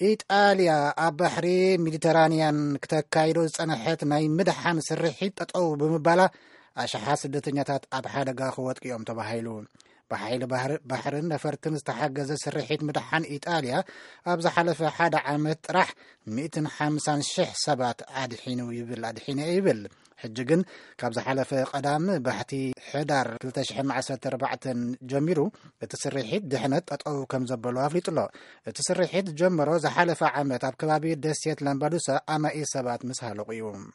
ኢጣልያ ኣብ ባሕሪ ሜዲተራንያን ክተካይዶ ዝጸንሐት ናይ ምድሓን ስርሒት ጠጠው ብምባላ፣ ኣሽሓት ስደተኛታት ኣብ ሓደጋ ክወድቁ እዮም ተባሂሉ። ብሓይሊ ባህር-፣ ባሕርን ነፈርትን ዝተሓገዘ ስርሒት ምድሓን ኢጣልያ ኣብ ዝሓለፈ ሓደ ዓመት ጥራሕ ሚእትን ሓምሳን ሽሕ ሰባት ኣድሒኑ ይብል፣ ኣድሒነ ይብል። ሕጂ ግን ካብ ዝሓለፈ ቀዳም ባሕቲ ሕዳር ክልተ ሽሕን ዓሰርተ ኣርባዕተን ጀሚሩ እቲ ስርሒት ድሕነት ጠጠው ከም ዘበሎ ኣፍሊጡ ኣሎ። እቲ ስርሒት ጀመሮ ዝሓለፈ ዓመት ኣብ ከባቢ ደሴት ላምባዱሳ ኣማኢ ሰባት ምስ ሃለቑ እዩ።